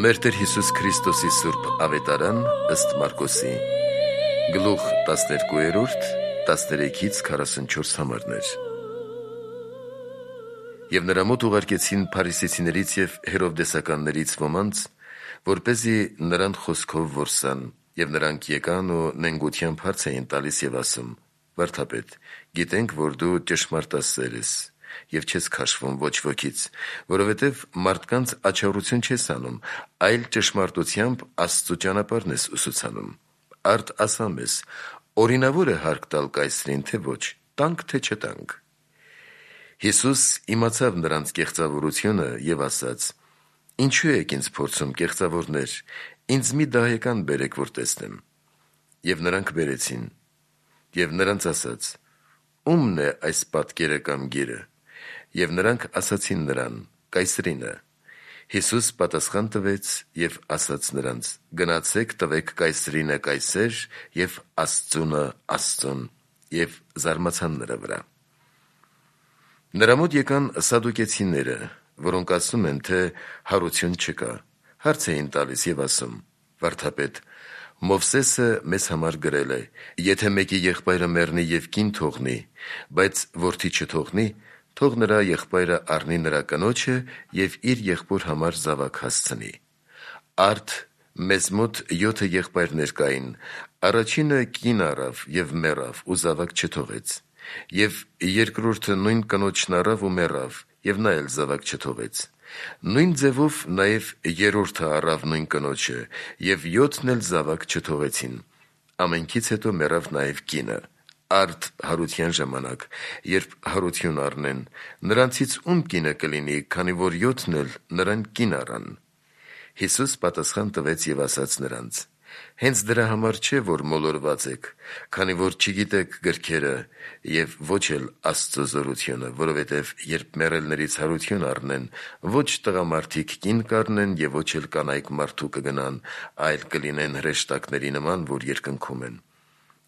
Մեր Տեր Հիսուս Քրիստոսի Սուրբ Ավետարան ըստ Մարկոսի Գլուխ 12 13-ից 44 համարներ։ Եվ նրա մոտ ուղարկեցին փարիսեցիներից և հերովդեսականներից ոմանց, որպեսզի նրան խոսքով որսան, և նրանք եկան ու նենգությամբ հարց էին տալիս և ասում. «Վարդապետ, գիտենք, որ դու ճշմարտասեր ես և չես քաշվում ոչ ոքից, որովհետև մարդկանց աջակցություն չես անում, այլ ճշմարտությամբ Աստծու ճանապարհն ես ուսուցանում։ Արդ ասա մեզ, օրինավոր է հարկ տալ կայսրին, թե ոչ, տանք, թե չտանք»։ Հիսուս իմացավ նրանց կեղծավորությունը և ասաց. «Ինչու եք ինձ փորձում, կեղծավորներ, ինձ մի դահեկան բերեք, որ տեսնեմ»։ Եվ նրանք բերեցին։ Եվ նրանց ասաց. «Ո՞ւմն է այս պատկերը կամ գիրը»։ Եվ նրանք ասացին նրան. «Կայսրինը»։ Հիսուս պատասխան տվեց և ասաց նրանց. «Գնացեք, տվեք կայսրինը կայսեր և Աստծունը Աստծուն»։ Եվ զարմացան նրա վրա։ Նրա մոտ եկան սադուկեցիները, որոնք ասում են, թե հարություն չկա, հարց էին տալիս և ասում. «Վարդապետ, Մովսեսը մեզ համար գրել է. եթե մեկի եղբայրը մեռնի և կին թողնի, բայց որդի չթողնի, թող նրա եղբայրը առնի նրա կնոջը և իր եղբոր համար զավակ հասցնի։ Արդ մեզ մոտ 7 եղբայրներ կային, առաջինը կին առավ և մեռավ ու զավակ չթողեց, և երկրորդը նույն կնոջն առավ ու մեռավ, և նա էլ զավակ չթողեց։ Նույն ձևով նաև երրորդը առավ նույն կնոջը, և 7-ն էլ զավակ չթողեցին։ Ամենքից հետո մեռավ նաև կինը։ Արդ հարության ժամանակ, երբ հարություն առնեն, նրանցից ում կինը կլինի, քանի որ 7-ն էլ նրան կին առան»։ Հիսուս պատասխան տվեց և ասաց նրանց. «Հենց դրա համար չէ, որ մոլորված եք, քանի որ չգիտեք գրքերը և ոչ էլ Աստծու զորությունը, որովհետև երբ մեռելներից հարություն առնեն, ոչ տղամարդիկ կին կառնեն և ոչ էլ կանայք մարդու կգնան, այլ կլինեն հրեշտակների նման, որ երկնքում են։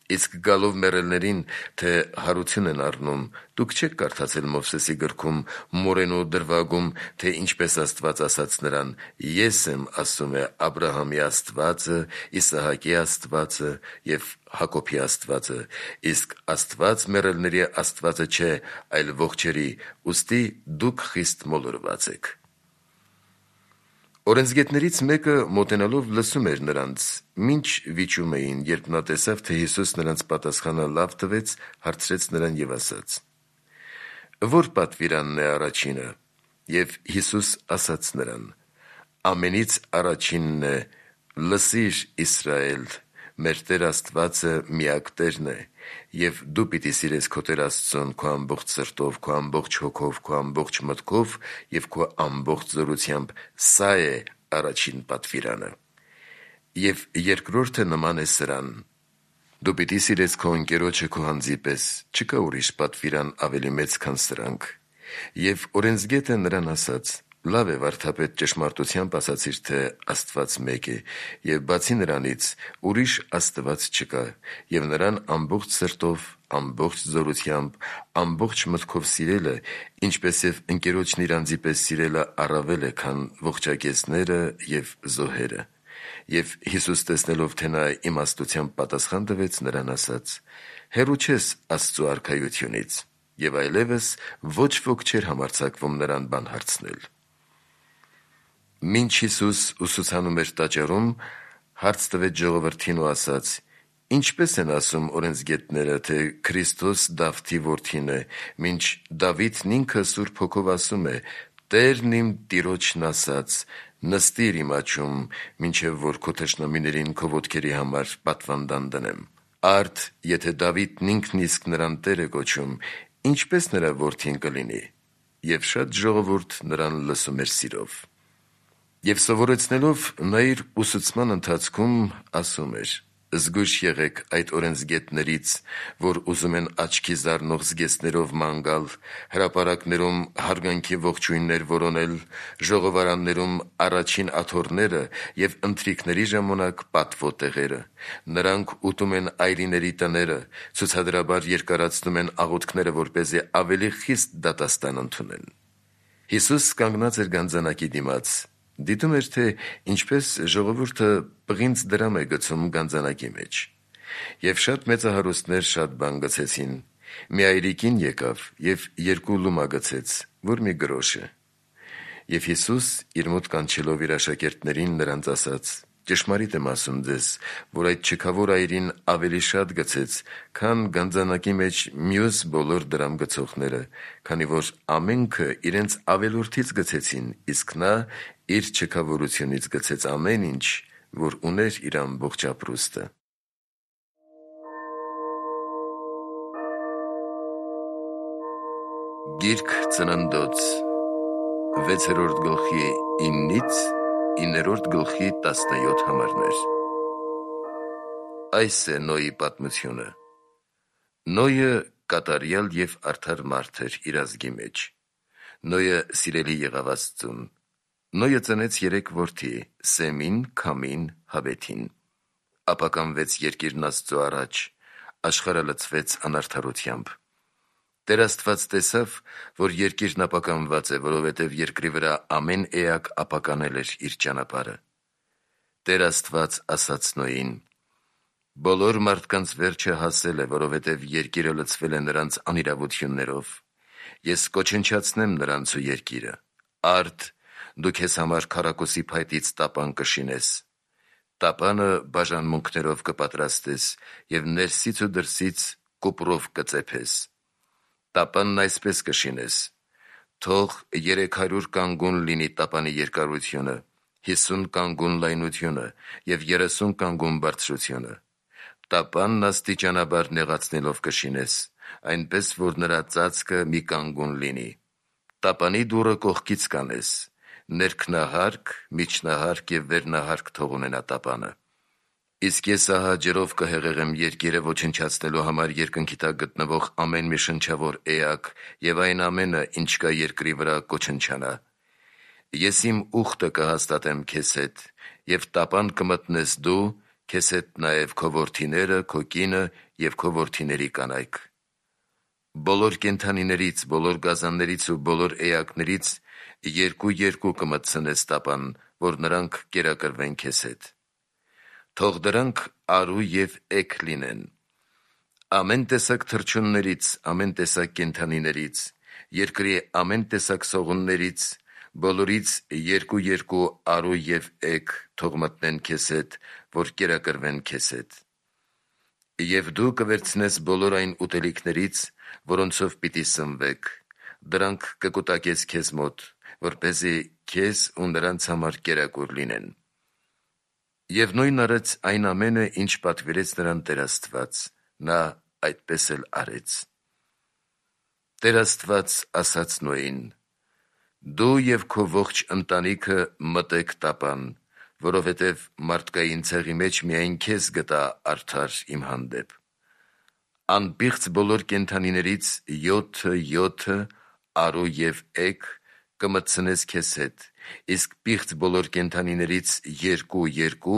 Իսկ գալով մեռելներին, թե հարություն են առնում, դուք չեք կարդացել Մովսեսի գրքում, մորենու դրվագում, թե ինչպես Աստված ասաց նրան. «Ես եմ, ասում է, Աբրահամի Աստվածը, Իսահակի Աստվածը և Հակոբի Աստվածը, իսկ Աստված մեռելների Աստվածը չէ, այլ ողջերի, ուստի դուք խիստ մոլորված եք»։ Օրենսգետներից մեկը մոտենալով լսում էր նրանց, մինչ վիճում էին, երբ նա տեսավ, թե Հիսուս նրանց պատասխանը լավ տվեց, հարցրեց նրան և ասաց. «Ո՞ր պատվիրանն է առաջինը»։ Եվ Հիսուս ասաց նրան. «Ամենից առաջինն է. «Լսիր, Իսրայել, մեր Տեր Աստվածը միակ Տերն է, և դու պիտի սիրես քո Տեր Աստծուն քո ամբողջ սրտով, քո ամբողջ հոգով, քո ամբողջ մտքով և քո ամբողջ զորությամբ. սա է առաջին պատվիրանը։ Եվ երկրորդը նման է սրան. դու պիտի սիրես քո ընկերոջը քո անձի պես. չկա ուրիշ պատվիրան ավելի մեծ, քան սրանք»։ Եվ օրենսգետը նրան ասաց. «Լավ է, վարդապետ, ճշմարտությամբ ասացիր, թե Աստված մեկ է, և բացի նրանից ուրիշ Աստված չկա, և Նրան ամբողջ սրտով, ամբողջ զորությամբ, ամբողջ մտքով սիրելը, ինչպես և ընկերոջն իր անձի պես սիրելը առավել է, քան ողջակեզները և զոհերը»։ Եվ Հիսուս տեսնելով, թե նա իմաստությամբ պատասխան տվեց, նրան ասաց. «Հեռու չես Աստծու արքայությունից»։ Եվ այլևս ոչ ոք չէր համարձակվում նրան բան հարցնել։ Մինչ Հիսուս ուսուցանում էր տաճարում, հարց տվեց ժողովրդին ու ասաց. «Ինչպե՞ս են ասում օրենսգետները, թե Քրիստոս Դավթի որդին է, մինչ Դավիթն ինքը Սուրբ Հոգով ասում է. «Տերն իմ Տիրոջն ասաց. նստիր իմ աջում, մինչև որ քո թշնամիներին քո ոտքերի համար պատվանդան դնեմ»։ Արդ եթե Դավիթն ինքն իսկ նրան Տեր է կոչում, ինչպե՞ս նրա որդին կլինի»։ Եվ շատ ժողովուրդ նրան լսում էր սիրով։ Եվ սովորեցնելով, նա իր ուսուցման ընթացքում ասում էր. «Զգույշ եղեք այդ օրենսգետներից, որ ուզում են աչքի զարնող զգեստներով ման գալ, հրապարակներում հարգանքի ողջույններ որոնել, ժողովարաններում առաջին աթոռները և ընթրիքների ժամանակ պատվո տեղերը։ Նրանք ուտում են այրիների տները, ցուցադրաբար երկարացնում են աղոթքները, որպեսզի ավելի խիստ դատաստան ընդունեն»։ Հիսուս կանգնած էր գանձանակի դիմաց, Դիտում էր, թե ինչպես ժողովուրդը պղինձ դրամ է գցում գանձանակի մեջ։ Եվ շատ մեծահարուստներ շատ բան գցեցին։ Մի այրիկին եկավ և 2 լումա գցեց, որ մի գրոշ է։ Եվ Հիսուս իր մոտ կանչելով իր աշակերտներին նրանց ասաց. «Ճշմարիտ եմ ասում ձեզ, որ այդ չքավոր այրին ավելի շատ գցեց, քան գանձանակի մեջ մյուս բոլոր դրամ գցողները, քանի որ ամենքը իրենց ավելորդից գցեցին, իսկ նա իր չքավորությունից գցեց ամեն ինչ, որ ուներ իր ամբողջ ապրուստը»։ Գիրք Ծննդոց 6-րդ գլխի 9-ից 9-րդ գլխի 17 համարներ։ Այս է Նոյի պատմությունը։ Նոյը կատարյալ և արդար մարդ էր իր ազգի մեջ։ Նոյը սիրելի եղավ Աստծուն։ Նոյը ծնեց 3 որդի՝ Սեմին, Քամին, Հաբեթին։ Ապականվեց երկիրն Աստծու առաջ, աշխարհը լցվեց անարդարությամբ։ Տեր Աստված տեսավ, որ երկիրն ապականված է, որովհետև երկրի վրա ամեն էակ ապականել էր իր ճանապարհը։ Տեր Աստված ասաց Նոյին. «Բոլոր մարդկանց վերջը հասել է, որովհետև երկիրը լցվել է նրանց անիրավություններով։ Ես կոչնչացնեմ նրանց ու երկիրը։ Արդ, դու քեզ համար քառակուսի փայտից տապան կշինես։ Տապանը բաժանմունքներով կպատրաստես և ներսից ու դրսից կուպրով կծեփես։ Տապանն այսպես կշինես. թող 300 կանգուն լինի տապանի երկարությունը, 50 կանգուն լայնությունը և 30 կանգուն բարձրությունը։ Տապանն աստիճանաբար նեղացնելով կշինես, այնպես, որ նրա ծածկը մի կանգուն լինի։ Տապանի դուռը կողքից կանես, ներքնահարկ, միջնահարկ և վերնահարկ թող ունենա տապանը։ Իսկ ես ահա ջրով կհեղեղեմ երկիրը ոչնչացնելու համար երկնքի տակ գտնվող ամեն մի շնչավոր էակ և այն ամենը, ինչ կա երկրի վրա, կոչնչանա։ Ես իմ ուխտը կհաստատեմ քեզ հետ, և տապան կմտնես դու, քեզ հետ նաև քո որդիները, քո կինը և քո որդիների կանայք։ Բոլոր կենդանիներից, բոլոր գազաններից ու բոլոր էակներից 2-2 կմտցնես տապան, որ նրանք կերակրվեն քեզ հետ։ Թող դրանք արու և էգ լինեն։ Ամեն տեսակ թռչուններից, ամեն տեսակ կենդանիներից, երկրի ամեն տեսակ սողուններից, բոլորից 2-2 արու և էգ թող մտնեն քեզ հետ, որ կերակրվեն քեզ հետ։ Եվ դու կվերցնես բոլոր այն ուտելիքներից, որոնցով պիտի սնվեք, դրանք կկուտակես քեզ մոտ, որպեսզի քեզ ու նրանց համար կերակուր լինեն։ Եվ Նոյն արեց այն ամենը, ինչ պատվիրեց նրան Տեր Աստված, նա այդպես էլ արեց։ Տեր Աստված ասաց Նոյին. «Դու և քո ողջ ընտանիքը մտեք տապան, որովհետև մարդկային ցեղի մեջ միայն քեզ գտա արդար իմ հանդեպ։ Անպիղծ բոլոր կենդանիներից 7 արու և էգ կմտցնես քեզ հետ, իսկ պիղծ բոլոր կենդանիներից 2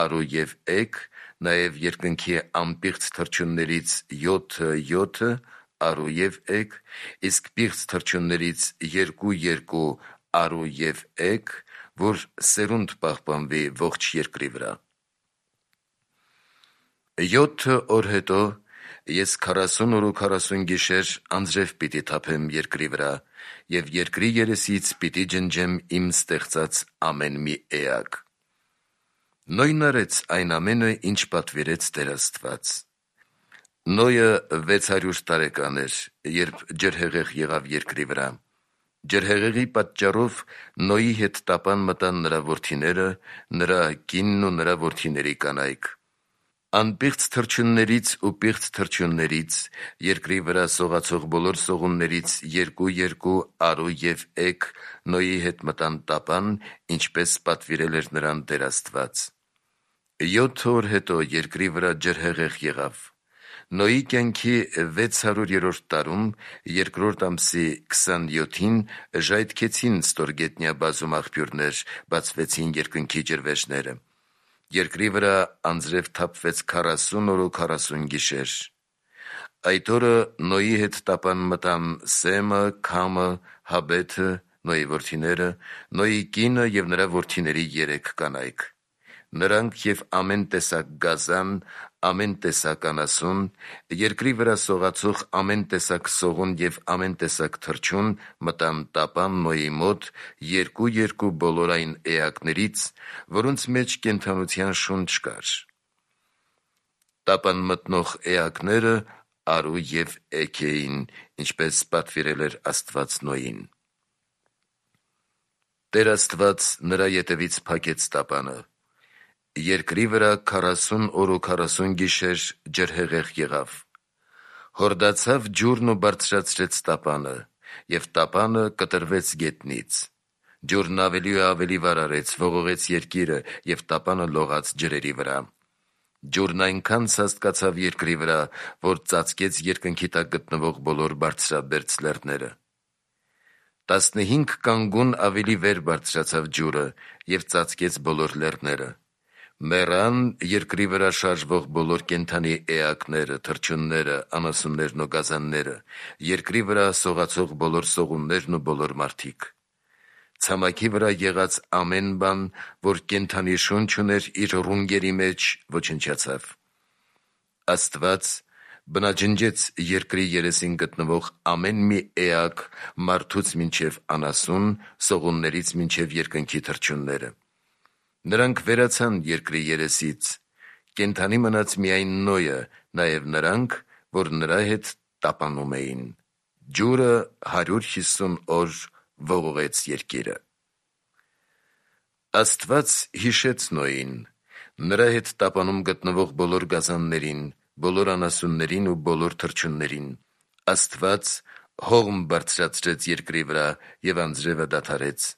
արու և էգ, նաև երկնքի անպիղծ թռչուններից 7 արու և էգ, իսկ պիղծ թռչուններից 2 արու և էգ, որ սերունդ պահպանվի ողջ երկրի վրա։ 7 օր հետո ես 40 օր ու 40 գիշեր անձրև պիտի թափեմ երկրի վրա, և երկրի երեսից պիտի ջնջեմ իմ ստեղծած ամեն մի էակ»։ Նոյն արեց այն ամենը, ինչ պատվիրեց Տեր Աստված։ Նոյը 600 տարեկան էր, երբ ջրհեղեղ եղավ երկրի վրա։ Ջրհեղեղի պատճառով Նոյի հետ տապան մտան նրա որդիները, նրա կինն ու նրա որդիների կանայք։ Անպիղծ թռչուններից ու պիղծ թռչուններից, երկրի վրա սողացող բոլոր սողուններից 2 արու և էգ Նոյի հետ մտան տապան, ինչպես պատվիրել էր նրան Տեր Աստված։ 7 օր հետո երկրի վրա ջրհեղեղ եղավ։ Նոյի կյանքի 600-րդ տարում, 2-րդ ամսի 27-ին ժայթքեցին ստորգետնյա բազում աղբյուրներ, բացվեցին երկնքի ջրվեժները։ Երկրի վրա անձրև թափվեց 40 օր ու 40 գիշեր։ Այդ օրը Նոյի հետ տապան մտան Սեմը, Քամը, Հաբեթը, Նոյի որդիները, Նոյի կինը եւ նրա որդիների 3 կանայք։ Նրանք եւ ամեն տեսակ գազան, ամեն տեսակ անասուն, երկրի վրա սողացող ամեն տեսակ սողուն եւ ամեն տեսակ թռչուն մտան տապան Նոյի մոտ 2 բոլորային էակներից, որոնց մեջ կենդանության շունչ կար։ Տապան մտնող էակները արու եւ էգ էին, ինչպես պատվիրել էր Աստված Նոյին։ Տեր Աստված նրա ետևից փակեց տապանը։ Երկրի վրա 40 օր ու 40 գիշեր ջրհեղեղ եղավ։ Հորդացավ ջուրն ու բարձրացրեց տապանը, եւ տապանը կտրվեց գետնից։ Ջուրն ավելի ու ավելի վարարեց, ողողեց երկիրը, եւ տապանը լողաց ջրերի վրա։ Ջուրն այնքան սաստկացավ երկրի վրա, որ ծածկեց երկնքի տակ գտնվող բոլոր բարձրաբերձ լեռները։ 15 կանգուն ավելի վեր բարձրացավ ջուրը եւ ծածկեց բոլոր լեռները։ Մեռան երկրի վրա շարժվող բոլոր կենդանի էակները, թռչունները, անասուններն ու գազանները, երկրի վրա սողացող բոլոր սողուններն ու բոլոր մարդիկ։ Ցամաքի վրա եղած ամեն բան, որ կենդանի շունչ ուներ իր ռունգերի մեջ, ոչնչացավ։ Աստված բնաջնջեց երկրի երեսին գտնվող ամեն մի էակ, մարդուց մինչև անասուն, սողուններից մինչև երկնքի թռչունները։ Նրանք վերացան երկրի երեսից, կենդանի մնաց միայն Նոյը, նաև նրանք, որ նրա հետ տապանում էին։ Ջուրը 150 օր ողողեց երկիրը։ Աստված հիշեց Նոյին, նրա հետ տապանում գտնվող բոլոր գազաններին, բոլոր անասուններին ու բոլոր թռչուններին։ Աստված հողմ բարձրացրեց երկրի վրա և անձրևը դադարեց։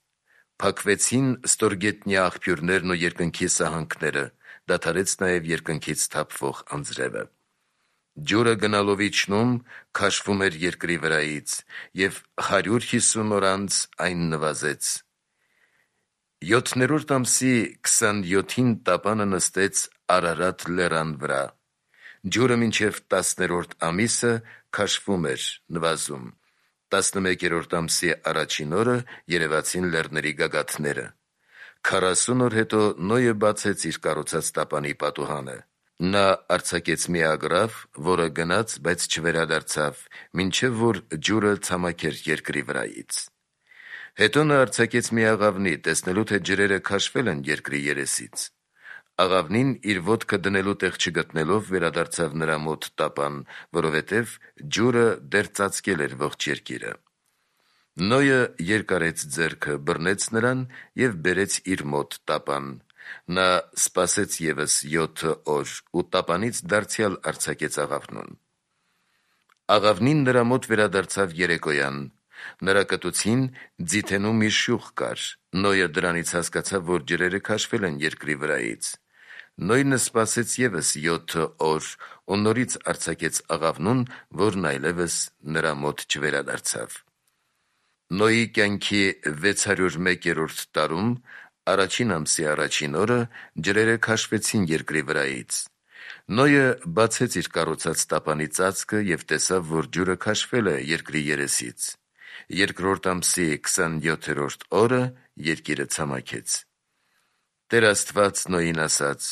Փակվեցին ստորգետնյա աղբյուրներն ու երկնքի սահանքները, դադարեց նաև երկնքից թափվող անձրևը։ Ջուրը գնալով իջնում, քաշվում էր երկրի վրայից, և 150 օր անց այն նվազեց։ 7-րդ ամսի 27-ին տապանը նստեց Արարատ լեռան վրա։ Ջուրը մինչև 10-րդ ամիսը քաշվում էր, նվազում։ 11-րդ ամսի առաջին օրը երևացին լեռների գագաթները։ 40 օր հետո Նոյը բացեց իր կառուցած տապանի պատուհանը։ Նա արձակեց մի ագռավ, որը գնաց, բայց չվերադարձավ, մինչև որ ջուրը ցամաքեր երկրի վրայից։ Հետո նա արձակեց մի աղավնի, տեսնելու թե ջրերը քաշվել են երկրի երեսից։ Աղավնին իր ոտքը դնելու տեղ չգտնելով վերադարձավ նրա մոտ տապան, որովհետև ջուրը դեռ ծածկել էր ողջ երկիրը։ Նոյը երկարեց ձեռքը, բռնեց նրան և բերեց իր մոտ տապան։ Նա սպասեց ևս 7 օր ու տապանից դարձյալ արձակեց աղավնուն։ Աղավնին նրա մոտ վերադարձավ երեկոյան։ Նրա կտուցին ձիթենու մի շյուղ կար։ Նոյը դրանից հասկացավ, որ ջրերը քաշվել են երկրի վրայից։ Նոյնը սպասեց ևս 7 օր ու նորից արձակեց աղավնուն, որն այլևս նրա մոտ չվերադարձավ։ Նոյի կյանքի 601-րդ տարում, առաջին ամսի առաջին օրը, ջրերը քաշվեցին երկրի վրայից։ Նոյը բացեց իր կառուցած տապանի ծածկը և տեսավ, որ ջուրը քաշվել է երկրի երեսից։ Երկրորդ ամսի 27-րդ օրը երկիրը ցամաքեց։ Տեր Աստված Նոյին ասաց.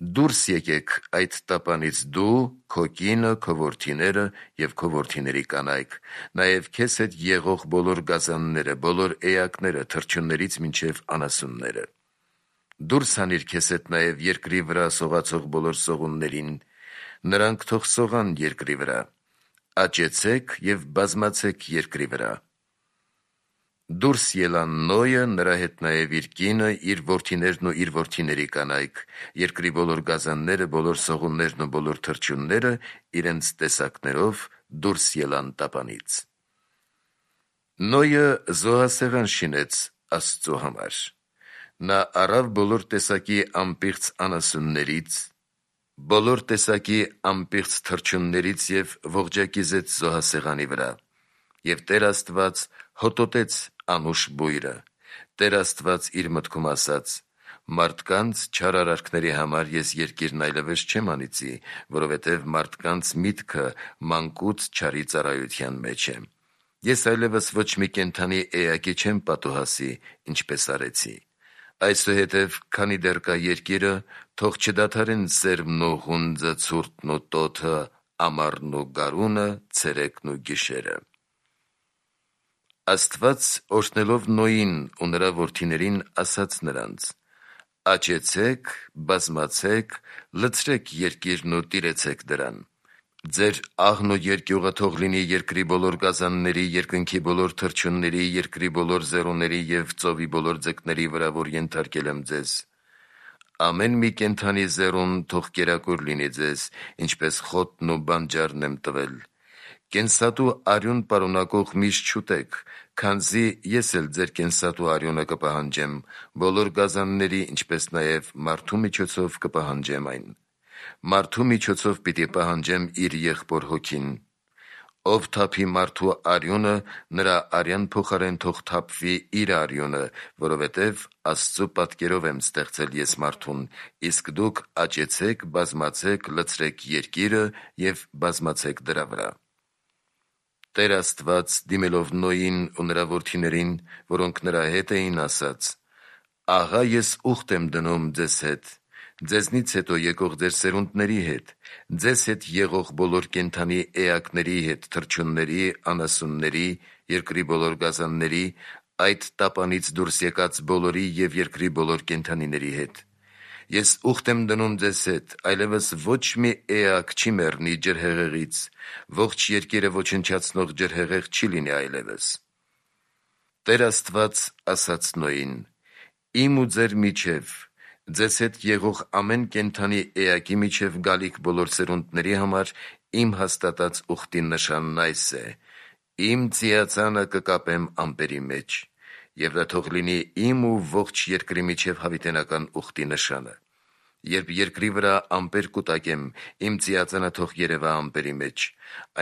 «Դուրս եկեք այդ տապանից դու, քո կինը, քո որդիները և քո որդիների կանայք, նաև քեզ հետ եղող բոլոր գազանները, բոլոր էակները, թռչուններից մինչև անասունները։ Դուրս հանիր քեզ հետ նաև երկրի վրա սողացող բոլոր սողուններին, նրանք թող սողան երկրի վրա։ Աճեցեք և բազմացեք երկրի վրա»։ Դուրս ելան Նոյը, նրա հետ նաև իր կինը, իր որդիներն ու իր որդիների կանայք, երկրի բոլոր գազանները, բոլոր սողուններն ու բոլոր թռչունները իրենց տեսակներով դուրս ելան տապանից։ Նոյը զոհասեղան շինեց Աստծու համար։ Նա առավ բոլոր տեսակի անպիղծ անասուններից, բոլոր տեսակի անպիղծ թռչուններից և ողջակիզեց զոհասեղանի վրա։ Եվ Տեր Աստված հոտոտեց անուշ բույրը։ Տեր Աստված իր մտքում ասաց. «Մարդկանց չար արարքների համար ես երկիրն այլևս չեմ անիծի, որովհետև մարդկանց միտքը մանկուց չարի ծառայության մեջ է»։ Ես այլևս ոչ մի կենդանի էակի չեմ պատուհասի, ինչպես արեցի։ Այսուհետև, քանի դեռ կա երկիրը, թող չդադարեն սերմն ու հունձը, ցուրտն ու տոթը, ամառն ու գարունը, ցերեկն ու գիշերը։ Աստված օրհնելով Նոյին ու նրա որդիներին ասաց նրանց. «Աճեցեք, բազմացեք, լցրեք երկիրն ու տիրեցեք դրան։ Ձեր աղն ու երկյուղը թող լինի երկրի բոլոր գազանների, երկնքի բոլոր թռչունների, երկրի բոլոր զեռուների և ծովի բոլոր ձկների վրա, որ ենթարկել եմ ձեզ։ Ամեն մի կենդանի զեռուն թող կերակուր լինի ձեզ, ինչպես խոտն ու բանջարն եմ տվել։ Կենսատու արյուն պարունակող միշ չուտեք, քանզի ես էլ ձեր կենսատու արյունը կպահանջեմ, բոլոր գազանների, ինչպես նաև մարդու միջոցով կպահանջեմ այն։ Մարդու միջոցով պիտի պահանջեմ իր եղբոր հոգին։ Ով թափի մարդու արյունը, նրա արյան փոխարեն թող թափվի իր արյունը, որովհետև Աստծու պատկերով եմ ստեղծել ես մարդուն, իսկ դուք աճեցեք, բազմացեք, լցրեք երկիրը և բազմացեք դրա վրա»։ Տեր Աստված, դիմելով Նոյին ու նրա որդիներին, որոնք նրա հետ էին, ասաց. «Ահա ես ուխտ եմ դնում ձեզ հետ, ձեզնից հետո եկող ձեր սերունդների հետ, ձեզ հետ եղող բոլոր կենդանի էակների հետ, թռչունների, անասունների, երկրի բոլոր գազանների, այդ տապանից դուրս եկած բոլորի և երկրի բոլոր կենդանիների հետ։ Ես ուխտ եմ դնում ձեզ հետ, այլևս ոչ մի էակ չի մեռնի ջրհեղեղից, ողջ երկիրը ոչնչացնող ջրհեղեղ չի լինի այլևս»։ Տեր Աստված ասաց Նոյին. «Իմ ու ձեր միջև, ձեզ հետ եղող ամեն կենդանի էակի միջև գալիք բոլոր սերունդների համար իմ հաստատած ուխտի նշանն այս է. իմ ծիածանը կկապեմ ամպերի մեջ, և դա թող լինի իմ ու ողջ երկրի միջև հավիտենական ուխտի նշանը։ Երբ երկրի վրա ամպեր կուտակեմ, իմ ծիածանը թող երևա ամպերի մեջ։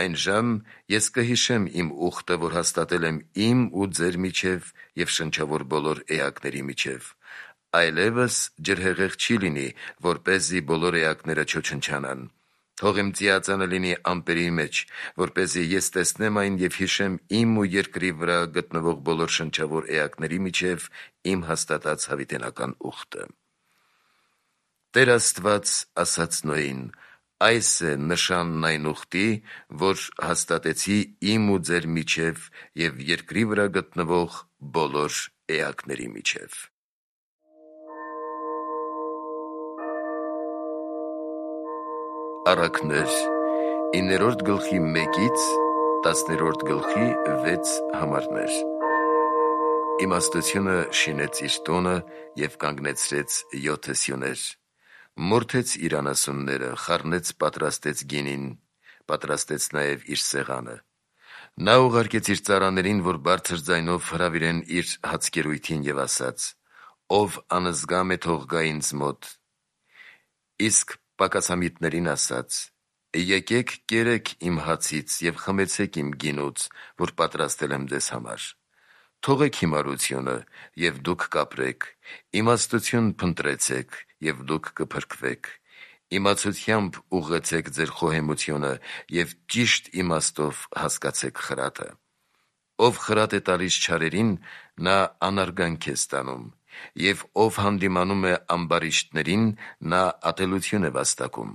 Այն ժամ ես կհիշեմ իմ ուխտը, որ հաստատել եմ իմ ու ձեր միջև և շնչավոր բոլոր էակների միջև։ Այլևս ջրհեղեղ չի լինի, որպեսզի բոլոր էակները չոչնչանան։ Թող իմ ծիածանը լինի ամպերի մեջ, որպեսզի ես տեսնեմ այն և հիշեմ իմ ու երկրի վրա գտնվող բոլոր շնչավոր էակների միջև իմ հաստատած հավիտենական ուխտը»։ Տեր Աստված ասաց Նոյին. «Այս է նշանն այն ուխտի, որ հաստատեցի իմ ու ձեր միջև և երկրի վրա գտնվող բոլոր էակների միջև»։ Առակներ 9-1-ից 10-6 Իմաստությունը շինեց իր տունը և կանգնեցրեց 7 սյուներ։ Մորթեց իր անասունները, խառնեց, պատրաստեց գինին, պատրաստեց նաև իր սեղանը։ Նա ուղարկեց իր ծառաներին, որ բարձր ձայնով հրավիրեն իր հացկերույթին, և ասաց. «Ով անզգամ է, թող գա ինձ մոտ»։ Իսկ պակասամիտներին ասաց. «Եկեք կերեք իմ հացից և խմեցեք իմ գինուց, որ պատրաստել եմ ձեզ համար։ Թողեք հիմարությունը, և դուք կապրեք, իմաստություն փնտրեցեք, և դուք կփրկվեք։ Իմացությամբ ուղղեցեք ձեր խոհեմությունը և ճիշտ իմաստով հասկացեք խրատը։ Ով խրատ է տալիս չարերին, նա անարգանք է ստանում, և ով հանդիմանում է ամբարիշտներին, նա ատելություն է վաստակում։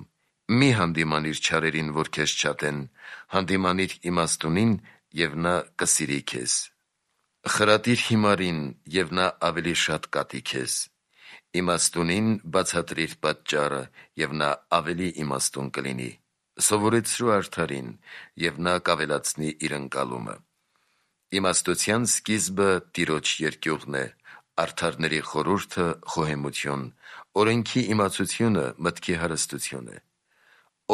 Մի հանդիմանիր չարերին, որ քեզ չատեն, հանդիմանիր իմաստունին, և նա կսիրի քեզ։ Խրատիր հիմարին, և նա ավելի շատ կատի քեզ։ Իմաստունին բացատրիր պատճառը, և նա ավելի իմաստուն կլինի։ Սովորեցրու արդարին, և նա կավելացնի իր ընկալումը։ Իմաստության սկիզբը Տիրոջ երկյուղն է, արդարների խորհուրդը խոհեմություն, օրենքի իմացությունը մտքի հարստություն է։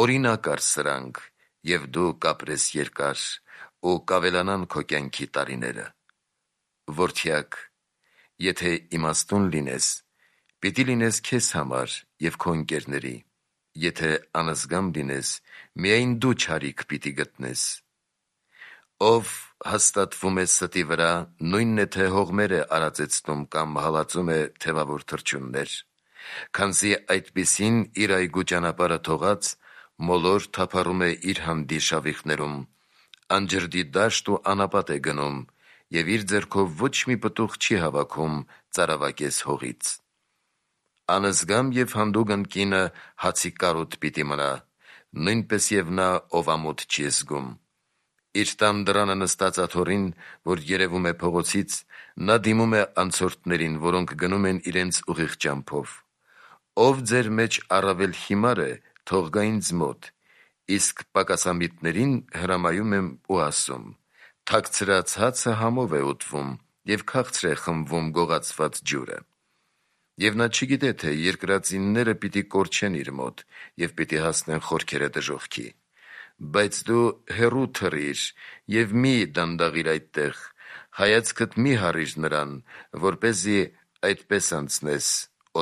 Օրինակ առ սրանք, և դու կապրես երկար, ու կավելանան քո կյանքի տարիները։ Որդյակ, եթե իմաստուն լինես, պիտի լինես քեզ համար և քո ընկերների, եթե անզգամ լինես, միայն դու չարիք պիտի գտնես։ Ով հաստատվում է ստի վրա, նույնն է, թե հողմեր է արածեցնում կամ հալածում է թևավոր թռչուններ, քանզի այդպիսին իր այգու ճանապարհը թողած, մոլոր թափառում է իր հանդի շավիղներում, անջրդի դաշտ ու անապատ է գնում, և իր ձեռքով ոչ մի պտուղ չի հավաքում ծարավակես հողից։ Անզգամ և հանդուգն կինը հացի կարոտ պիտի մնա, նույնպես և նա, ով ամոթ չի զգում։ Իր տան դռանը նստած աթոռին, որ երևում է փողոցից, նա դիմում է անցորդներին, որոնք գնում են իրենց ուղիղ ճամփով. «Ով ձեր մեջ առավել հիմար է, թող գա ինձ մոտ, իսկ պակասամիտներին հրամայում եմ ու ասում. թաքցրած հացը համով է ուտվում, և քաղցր է խմվում գողացված ջուրը»։ Եվ նա չգիտե, թե երկրածինները պիտի կորչեն իր մոտ և պիտի հասնեն խորքերը դժոխքի։ Բայց դու հեռու թռիր և մի դանդաղիր այդտեղ, հայացքդ մի հառիր նրան, որպեսզի այդպես անցնես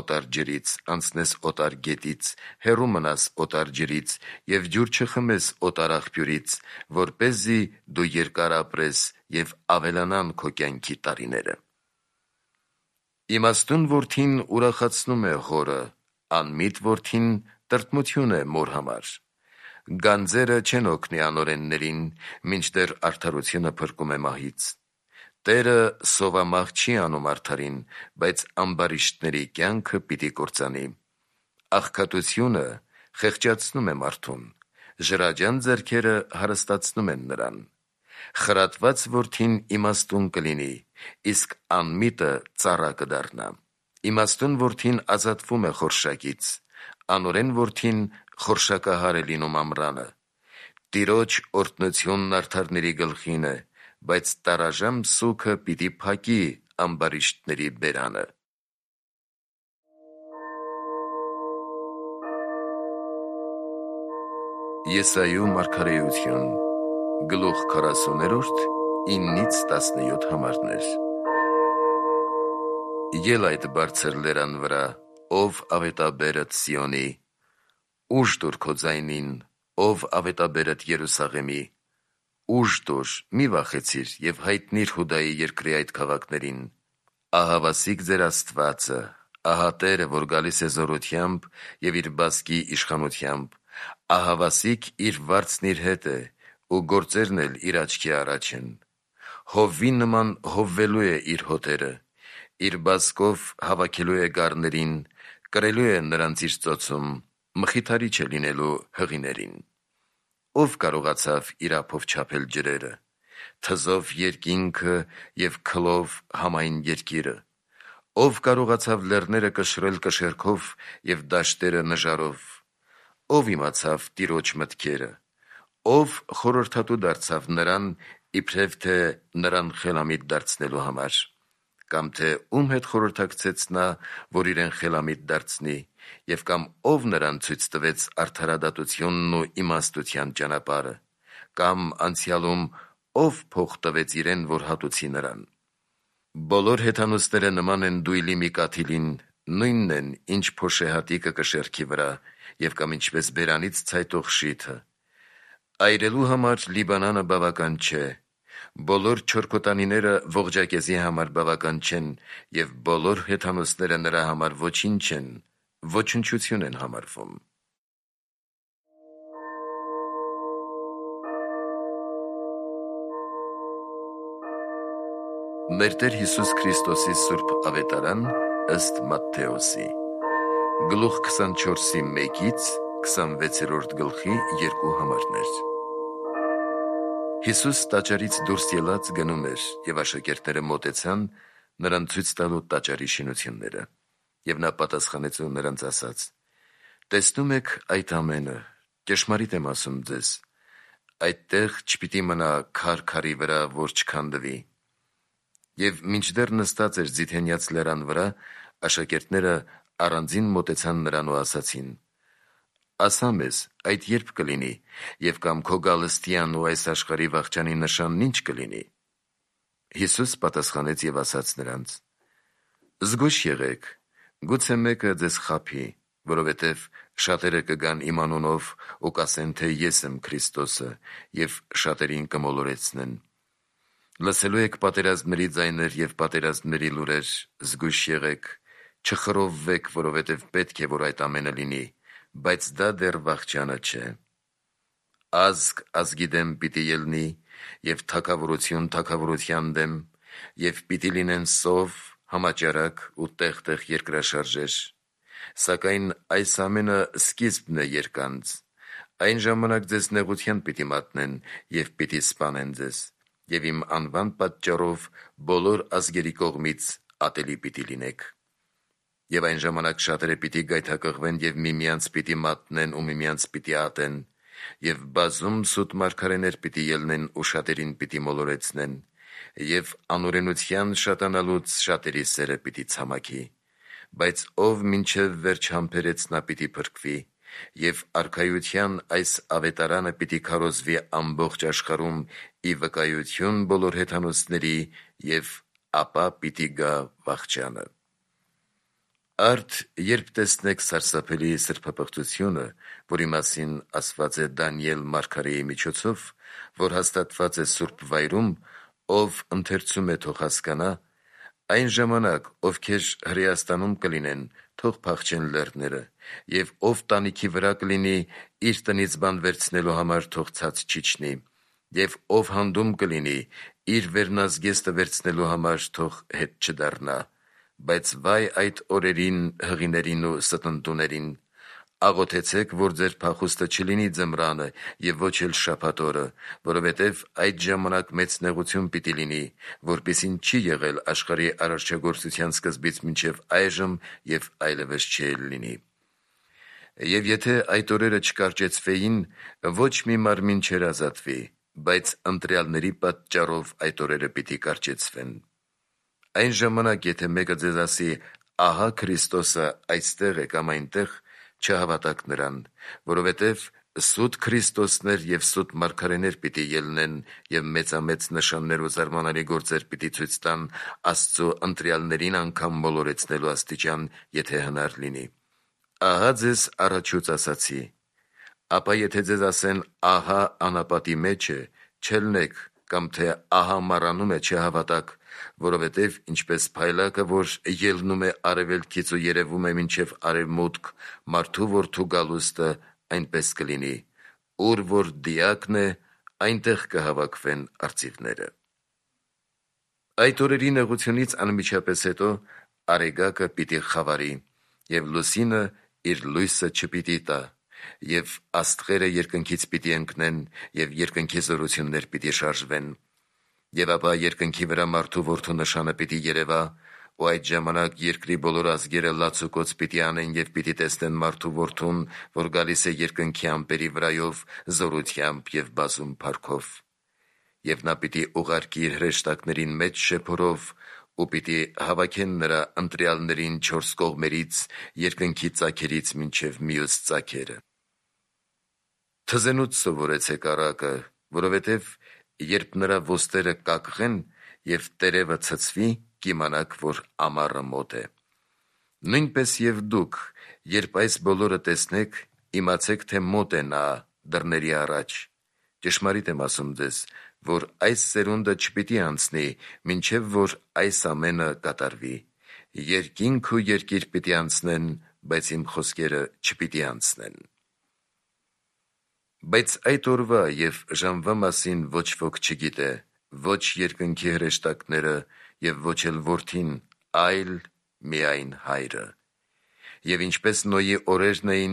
օտար ջրից, անցնես օտար գետից, հեռու մնաս օտար ջրից և ջուր չխմես օտար աղբյուրից, որպեսզի դու երկար ապրես և ավելանան քո կյանքի տարիները։ Իմաստուն որդին ուրախացնում է հորը, անմիտ որդին տրտմություն է մոր համար։ Գանձերը չեն օգնի անօրեններին, մինչդեռ արդարությունը փրկում է մահից։ Տերը սովամահ չի անում արդարին, բայց ամբարիշտների կյանքը պիտի կործանի։ Աղքատությունը խեղճացնում է մարդուն, ժրաջան ձեռքերը հարստացնում են նրան։ Խրատված որդին իմաստուն կլինի, իսկ անմիտը ծառա կդառնա։ Իմաստուն որդին ազատվում է խորշակից, անօրեն որդին խորշակահար է լինում ամռանը։ Տիրոջ օրհնությունն արդարների գլխին է, բայց տարաժամ սուգը պիտի փակի ամբարիշտների բերանը։ Եսայու մարգարեություն, գլուխ 40, 9-17 համարներ։ Ել այդ բարձր լերան վրա, ով ավետաբերդ Սիոնի, ուժ տուր քո ձայնին, ով ավետաբերդ Երուսաղեմի, ուժ տուր, մի վախեցիր և հայտնիր Հուդայի երկրի այդ քաղաքներին. ահավասիկ ձեր Աստվածը, ահա Տերը, որ գալիս է զորությամբ և իր բազկի իշխանությամբ, ահավասիկ իր վարձն իր հետ է, ու գործերն էլ իր աչքի առաջ են։ Հովվի նման հովվելու է իր հոտերը, իր բազկով հավաքելու է գառներին, կրելու է նրանց իր ծոցում, մխիթարիչ է լինելու հղիներին։ Ով կարողացավ իր ափով չափել ջրերը, թզով երկինքը և քլով համայն երկիրը, ով կարողացավ լեռները կշռել կշեռքով և դաշտերը նժարով, ով իմացավ Տիրոջ մտքերը, ով խորհրդատու դարձավ նրան, իբրև թե նրան խելամիտ դարձնելու համար, կամ թե ում հետ խորհրդակցեց նա, որ իրեն խելամիտ դարձնի, և կամ ով նրան ցույց տվեց արդարադատությունն ու իմաստության ճանապարհը, կամ անցյալում ով փող տվեց իրեն, որ հատուցի նրան։ Բոլոր հեթանոսները նման են դույլի մի կաթիլին, նույնն են, ինչ փոշեհատիկը կշեռքի վրա, և կամ ինչպես բերանից ցայտող շիթը։ Այրելու համար Լիբանանը բավական չէ, բոլոր չորքոտանիները ողջակեզի համար բավական չեն, և բոլոր հեթանոսները նրա համար ոչինչ են, ոչնչություն են համարվում։ Մեր Տեր Հիսուս Քրիստոսի սուրբ ավետարան ըստ Մատթեոսի, գլուխ 24-1-26 գլխի 2 համարներ։ Հիսուս տաճարից դուրս ելած գնում էր, և աշակերտները մոտեցան նրան ցույց տալու տաճարի շինությունները, և նա պատասխանեց ու նրանց ասաց. «Տեսնում եք այդ ամենը, ճշմարիտ եմ ասում ձեզ, այդտեղ չպիտի մնա քար քարի վրա, որ չքանդվի»։ Եվ մինչդեռ նստած էր Ձիթենյաց լերան վրա, աշակերտները առանձին մոտեցան նրան ու ասացին. «Ասա մեզ, այդ երբ կլինի, և կամ քո գալստյան ու այս աշխարհի վախճանի նշանն ինչ կլինի»։ Հիսուս պատասխանեց և ասաց նրանց. «Զգույշ եղեք, գուցե մեկը ձեզ խաբի, որովհետև շատերը կգան իմ անունով ու կասեն, թե ես եմ Քրիստոսը, և շատերին կմոլորեցնեն։ Լսելու եք պատերազմների ձայներ և պատերազմների լուրեր, զգույշ եղեք, չխռովվեք, որովհետև պետք է, որ այդ ամենը լինի, բայց դա դեռ վախճանը չէ։ ազգ ազգի դեմ պիտի ելնի, և թագավորություն թագավորության դեմ, և պիտի լինեն սով, համաճարակ ու տեղ-տեղ երկրաշարժեր, սակայն այս ամենը սկիզբն է երկանց, այն ժամանակ ձեզ նեղության պիտի մատնեն և պիտի սպանեն ձեզ, և իմ անվան պատճառով բոլոր ազգերի կողմից ատելի պիտի լինեք։ Եվ այն ժամանակ շատերը պիտի գայթակղվեն և միմյանց պիտի մատնեն ու միմյանց պիտի ատեն, և բազում սուտ մարգարեներ պիտի ելնեն ու շատերին պիտի մոլորեցնեն, և անօրենության շատանալուց շատերի սերը պիտի ցամաքի, բայց ով մինչև վերջ համբերեց, նա պիտի փրկվի, և արքայության այս ավետարանը պիտի քարոզվի ամբողջ աշխարհում ի վկայություն բոլոր հեթանոսների, և ապա պիտի գա վախճանը։ Արդ երբ տեսնեք սարսափելի սրբապղծությունը, որի մասին ասված է Դանիել մարգարեի միջոցով, որ հաստատված է Սուրբ Վայրում, ով ընթերցում է, թող հասկանա, այն ժամանակ ովքեր Հրեաստանում կլինեն, թող փախչեն լեռները, և ով տանիքի վրա կլինի, իր տնից բան վերցնելու համար, թող ցած չիջնի, և ով հանդում կլինի, իր վերնազգեստը վերցնելու համար, թող հետ չդառնա, բայց վայ այդ օրերին, հղիներին ու ստընտուներին, աղոթեցեք, որ ձեր փախուստը չլինի ձմռանը և ոչ էլ շաբաթ օրը, որովհետև այդ ժամանակ մեծ նեղություն պիտի լինի, որպիսին չի եղել աշխարհի արարչագործության սկզբից մինչև այժմ և այլևս չի լինի։ Եվ եթե այդ օրերը չկարճեցվեին, ոչ մի մարմին չէր ազատվի, բայց ընտրյալների պատճառով այդ օրերը պիտի կարճեցվեն։ Այն ժամանակ, եթե մեկը ձեզ ասի, ահա Քրիստոսը այստեղ է կամ այնտեղ, չհավատաք նրան, որովհետև սուտ Քրիստոսներ և սուտ մարգարեներ պիտի ելնեն և մեծամեծ նշաններ ու զարմանալի գործեր պիտի ցույց տան Աստծու ընտրյալներին անգամ մոլորեցնելու աստիճան, եթե հնար լինի։ Ահա ձեզ առաջուց ասացի։ Ապա եթե ձեզ ասեն, ահա անապատի մեջ է, չելնեք, կամ թե ահա մառանում է, չհավատաք, որովհետև ինչպես փայլակը, որ ելնում է արևելքից ու երևում է մինչև արևմուտք, մարդու որդու գալուստը, այնպես կլինի, ուր որ դիակն է, այնտեղ կհավաքվեն արծիվները։ Այդ օրերի նեղությունից անմիջապես հետո արեգակը պիտի խավարի, և լուսինը իր լույսը չպիտի տա, և աստղերը երկնքից պիտի ընկնեն, և երկնքի զորություններ պիտի շարժվեն, և ապա երկնքի վրա մարդու որդու նշանը պիտի երևա, ու այդ ժամանակ երկրի բոլոր ազգերը լացուկոծ պիտի անեն և պիտի տեսնեն մարդու որդուն, որ գալիս է երկնքի ամպերի վրայով, զորությամբ և բազում փառքով, և նա պիտի ուղարկի իր հրեշտակներին մեծ շեփորով, ու պիտի հավաքեն նրա ընտրյալներին չորս կողմերից, երկնքի ծագերից մինչև մյուս ծագերը։ Թզենուց սովորեցեք առակը, որովհետև երբ նրա ոստերը կակղեն և տերևը ցցվի, կիմանաք, որ ամառը մոտ է։ Նույնպես և դուք, երբ այս բոլորը տեսնեք, իմացեք, թե մոտ է նա դռների առաջ։ Ճշմարիտ եմ ասում ձեզ, որ այս սերունդը չպիտի անցնի, մինչև որ այս ամենը կատարվի։ Երկինք ու երկիր պիտի անցնեն, բայց իմ խոսքերը չպիտի անցնեն։ Բայց այդ օրվա և ժամվա մասին ոչ ոք չգիտե, ոչ երկնքի հրեշտակները և ոչ էլ Որդին, այլ միայն Հայրը։ Եվ ինչպես Նոյի օրերն էին,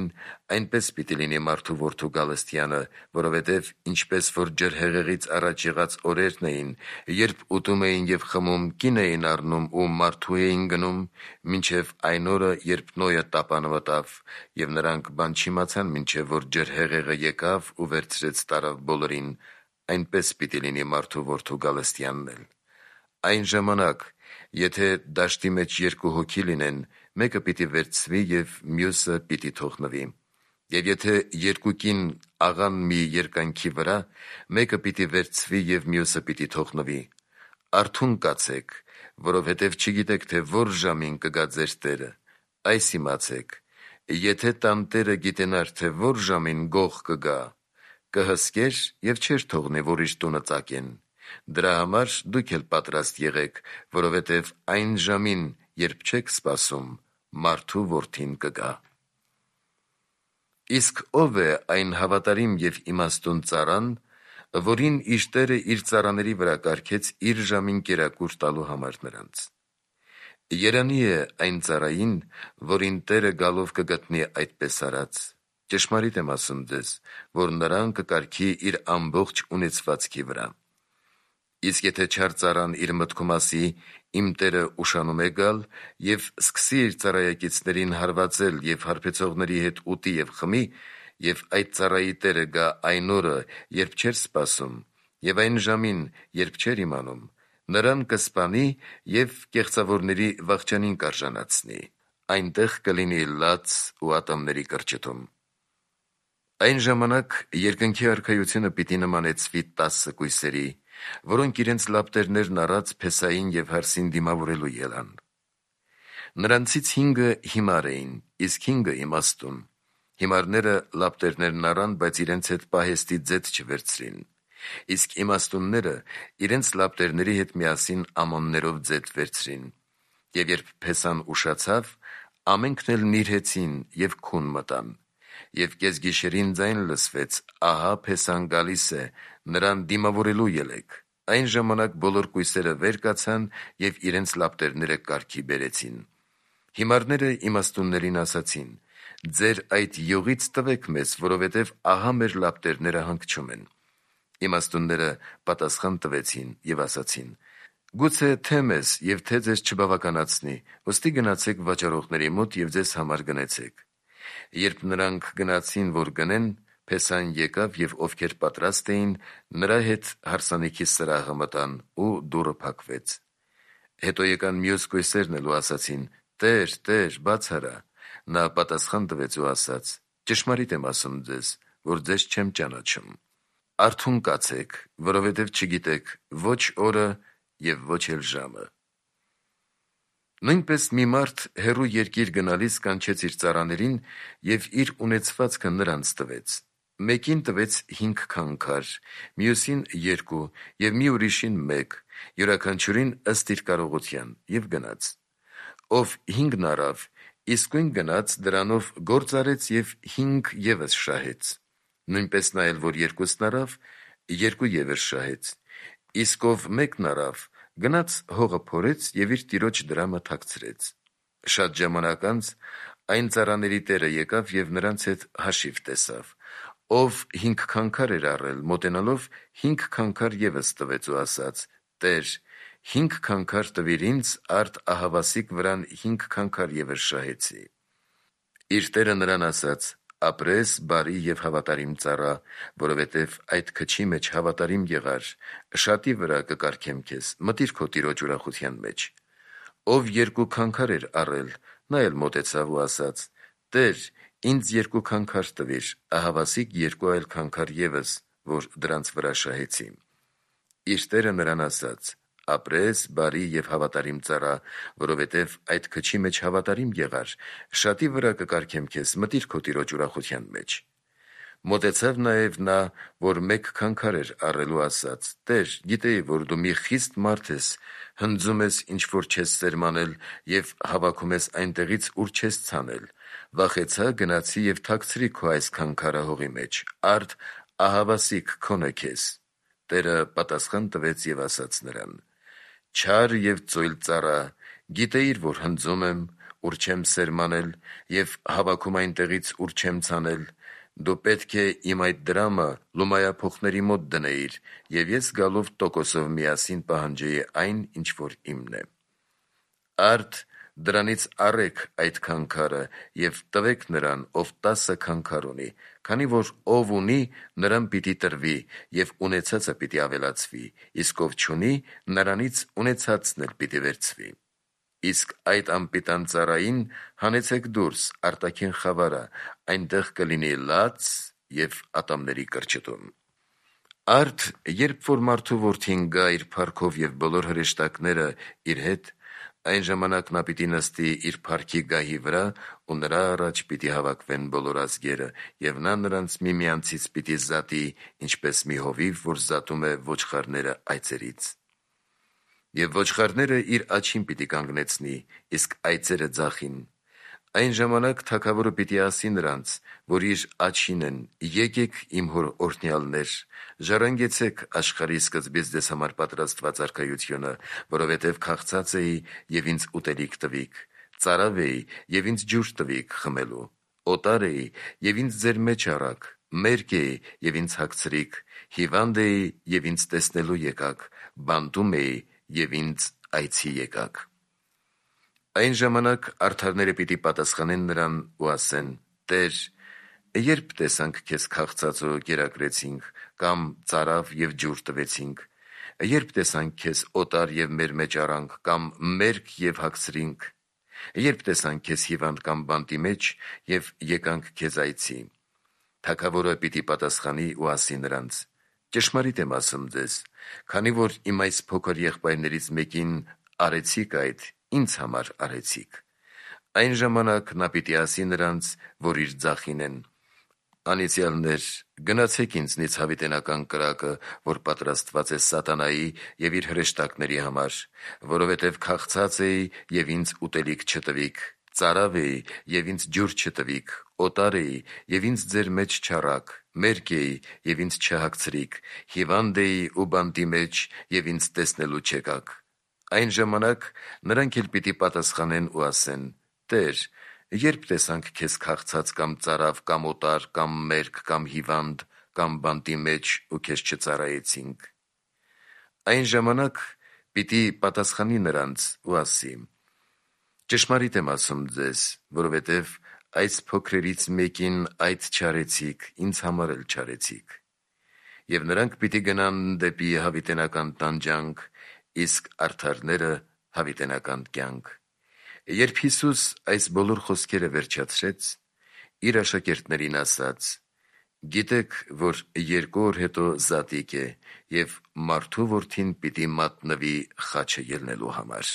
այնպես պիտի լինի մարդու որդու գալստյանը, որովհետև ինչպես որ ջրհեղեղից առաջ եղած օրերն էին, երբ ուտում էին և խմում, կին էին առնում ու մարդու էին գնում, մինչև այն օրը, երբ Նոյը տապանը մտավ, և նրանք բան չիմացան, մինչև որ ջրհեղեղը եկավ ու վերցրեց տարավ բոլորին, այնպես պիտի լինի մարդու որդու գալստյանն էլ։ Այն ժամանակ, եթե դաշտի մեջ երկու հոգի լինեն, մեկը պիտի վերցվի և մյուսը պիտի թողնվի։ Եվ եթե երկու կին աղան մի երկայնքի վրա, մեկը պիտի վերցվի և մյուսը պիտի թողնվի։ Արթուն կացեք, որովհետև չգիտեք, թե որ ժամին կգա ձեր Տերը։ Այս իմացեք. եթե տանտերը գիտենար, թե որ ժամին գող կգա, կհսկեր և չէր թողնի, որ իր տունը ծակեն։ Դրա համար դուք էլ պատրաստ եղեք, որովհետև այն ժամին, երբ չեք սպասում, մարդու որդին կգա։ Իսկ ով է այն հավատարիմ և իմաստուն ծառան, որին իր տերը իր ծառաների վրա կարգեց իր ժամին կերակուր տալու համար նրանց։ Երանի է այն ծառային, որին տերը գալով կգտնի այդպես արած։ Ճշմարիտ եմ ասում ձեզ, որ նրան կկարգի իր ամբողջ ունեցվածքի վրա։ Իսկ եթե չար ծառան իր մտքում ասի. «Իմ տերը ուշանում է գալ», և սկսի իր ծառայակիցներին հարվածել և հարբեցողների հետ ուտի և խմի, և այդ ծառայի տերը գա այն օրը, երբ չէր սպասում, և այն ժամին, երբ չէր իմանում, նրան կսպանի և կեղծավորների վախճանին կարժանացնի, այնտեղ կլինի լաց ու ատամների կրճտում։ Այն ժամանակ երկնքի արքայությունը պիտի նմանեցվի 10 կույսերի, որոնք իրենց լապտերներն առած փեսային և հարսին դիմավորելու ելան։ Նրանցից 5-ը հիմար էին, իսկ 5-ը իմաստուն։ Հիմարները լապտերներն առան, բայց իրենց հետ պահեստի ձեթ չվերցրին, իսկ իմաստունները իրենց լապտերների հետ միասին ամաններով ձեթ վերցրին։ Եվ երբ փեսան ուշացավ, ամենքն էլ նիրհեցին և քուն մտան։ Եվ կեսգիշերին ձայն լսվեց. «Ահա փեսան գալիս է, նրան դիմավորելու ելեք»։ Այն ժամանակ բոլոր կույսերը վեր կացան և իրենց լապտերները կարգի բերեցին։ Հիմարները իմաստուններին ասացին. «Ձեր այդ յուղից տվեք մեզ, որովհետև ահա մեր լապտերները հանգչում են»։ Իմաստունները պատասխան տվեցին և ասացին. «Գուցե թե մեզ և թե ձեզ չբավականացնի, ուստի գնացեք վաճառողների մոտ և ձեզ համար գնեցեք»։ Երբ նրանք գնացին, որ գնեն, փեսան եկավ, և ովքեր պատրաստ էին, նրա հետ հարսանիքի սրահը մտան, ու դուռը փակվեց։ Հետո եկան մյուս կույսերն էլ ու ասացին. «Տե՛ր, Տե՛ր, բաց արա»։ Նա պատասխան տվեց ու ասաց. «Ճշմարիտ եմ ասում ձեզ, որ ձեզ չեմ ճանաչում։ Արթուն կացեք, որովհետև չգիտեք ոչ օրը և ոչ էլ ժամը»։ Նույնպես մի մարդ հեռու երկիր գնալիս կանչեց իր ծառաներին և իր ունեցվածքը նրանց տվեց։ Մեկին տվեց 5 քանքար, մյուսին 2 և մի ուրիշին 1, յուրաքանչյուրին ըստ իր կարողության, և գնաց։ Ով 5-ն առավ, իսկույն գնաց, դրանով գործ արեց և 5 ևս շահեց։ Նույնպես նա էլ, որ 2-ն առավ, 2 ևս շահեց։ Իսկ ով 1-ն առավ, գնաց հողը փորեց և իր տիրոջ դրամը թաքցրեց։ Շատ ժամանակ անց այն ծառաների տերը եկավ և նրանց հետ հաշիվ տեսավ։ Ով 5 քանքար էր առել, մոտենալով 5 քանքար ևս տվեց ու ասաց. «Տե՛ր, 5 քանքար տվիր ինձ, արդ ահավասիկ վրան 5 քանքար ևս շահեցի»։ Իր տերը նրան ասաց. «Ապրես, բարի և հավատարիմ ծառա, որովհետև այդ քչի մեջ հավատարիմ եղար, շատի վրա կկարգեմ քեզ, մտիր քո տիրոջ ուրախության մեջ»։ Ով 2 քանքար էր առել, նա էլ մոտեցավ ու ասաց. «Տե՛ր, ինձ 2 քանքար տվիր, ահավասիկ 2 այլ քանքար ևս, որ դրանց վրա շահեցի»։ Իր տերը նրան ասաց. «Ապրես, բարի և հավատարիմ ծառա, որովհետև այդ քչի մեջ հավատարիմ եղար, շատի վրա կկարգեմ քեզ, մտիր քո տիրոջ ուրախության մեջ»։ Մոտեցավ նաև նա, որ 1 քանքար էր առել ու ասաց. «Տե՛ր, գիտեի, որ դու մի խիստ մարդ ես, հնձում ես, ինչ որ չես սերմանել, և հավաքում ես այնտեղից, ուր չես ցանել։ Վախեցա, գնացի և թաքցրի քո այս քանքարը հողի մեջ, արդ ահավասիկ քոնը քեզ»։ Տերը պատասխան տվեց և ասաց նրան. «Չար և ծույլ ծառա, գիտեիր, որ հնձում եմ, ուր չեմ սերմանել, և հավաքում այնտեղից, ուր չեմ ցանել։ Դու պետք է իմ այդ դրամը լումայափոխների մոտ դնեիր, և ես գալով տոկոսով միասին պահանջեի այն, ինչ որ իմն է։ Արդ դրանից առեք այդ քանքարը և տվեք նրան, ով 10 քանքար ունի, քանի որ ով ունի, նրան պիտի տրվի, և ունեցածը պիտի ավելացվի, իսկ ով չունի, նրանից ունեցածն էլ պիտի վերցվի։ Իսկ այդ անպիտան ծառային հանեցեք դուրս արտաքին խավարը, այնտեղ կլինի լաց և ատամների կրճտում։ Արդ երբ որ մարդու որդին գա իր փառքով և բոլոր հրեշտակները իր հետ, այն ժամանակ նա պիտի նստի իր փառքի գահի վրա, ու նրա առաջ պիտի հավաքվեն բոլոր ազգերը, և նա նրանց միմյանցից պիտի զատի, ինչպես մի հովիվ, որ զատում է ոչխարները այծերից։ Եվ ոչխարները իր աջին պիտի կանգնեցնի, իսկ այծերը ձախին։ Այն ժամանակ թագավորը պիտի ասի նրանց, որ իր աջին են. «Եկեք իմ հոր օրհնյալներ, ժառանգեցեք աշխարհի սկզբից ձեզ համար պատրաստված արքայությունը, որովհետև քաղցած էի և ինձ ուտելիք տվիք, ծարավ էի և ինձ ջուր տվիք խմելու, օտար էի և ինձ ձեր մեջ առաք, մերկ էի և ինձ հագցրիք, հիվանդ էի և ինձ տեսնելու եկաք, բանտում էի և ինձ այցի եկաք»։ Այն ժամանակ արդարները պիտի պատասխանեն նրան ու ասեն. «Տե՛ր, երբ տեսանք քեզ քաղցած ու կերակրեցինք, կամ ծարավ և ջուր տվեցինք, երբ տեսանք քեզ օտար և մեր մեջ առանք, կամ մերկ և հագցրինք, երբ տեսանք քեզ հիվանդ կամ բանտի մեջ և եկանք քեզ այցի»։ Թագավորը պիտի պատասխանի ու ասի նրանց. «Ճշմարիտ եմ ասում ձեզ, քանի որ իմ այս փոքր եղբայրներից մեկին արեցիք այդ, ինձ համար արեցիք»։ Այն ժամանակ նա պիտի ասի նրանց, որ իր ձախին են. «Անիծյալներ, գնացեք ինձնից հավիտենական կրակը, որ պատրաստված է սատանայի և իր հրեշտակների համար, որովհետև քաղցած էի և ինձ ուտելիք չտվիք, ծարավ էի և ինձ ջուր չտվիք, օտար էի և ինձ ձեր մեջ չառաք, մերկ էի և ինձ չհագցրիք, հիվանդ էի ու բանտի մեջ և ինձ տեսնելու չեկաք»։ Այն ժամանակ նրանք էլ պիտի պատասխանեն ու ասեն. «Տե՛ր, երբ տեսանք քեզ քաղցած կամ ծարավ կամ օտար կամ մերկ կամ հիվանդ կամ բանտի մեջ ու քեզ չծառայեցինք»։ Այն ժամանակ պիտի պատասխանի նրանց ու ասի. «Ճշմարիտ եմ ասում ձեզ, որովհետև այս փոքրերից մեկին այդ չարեցիք, ինձ համար էլ չարեցիք»։ Եվ նրանք պիտի գնան դեպի հավիտենական տանջանք, իսկ արդարները՝ հավիտենական կյանք։ Երբ Հիսուս այս բոլոր խոսքերը վերջացրեց, իր աշակերտներին ասաց. «Գիտեք, որ 2 օր հետո զատիկ է, և մարդու Որդին պիտի մատնվի խաչը ելնելու համար»։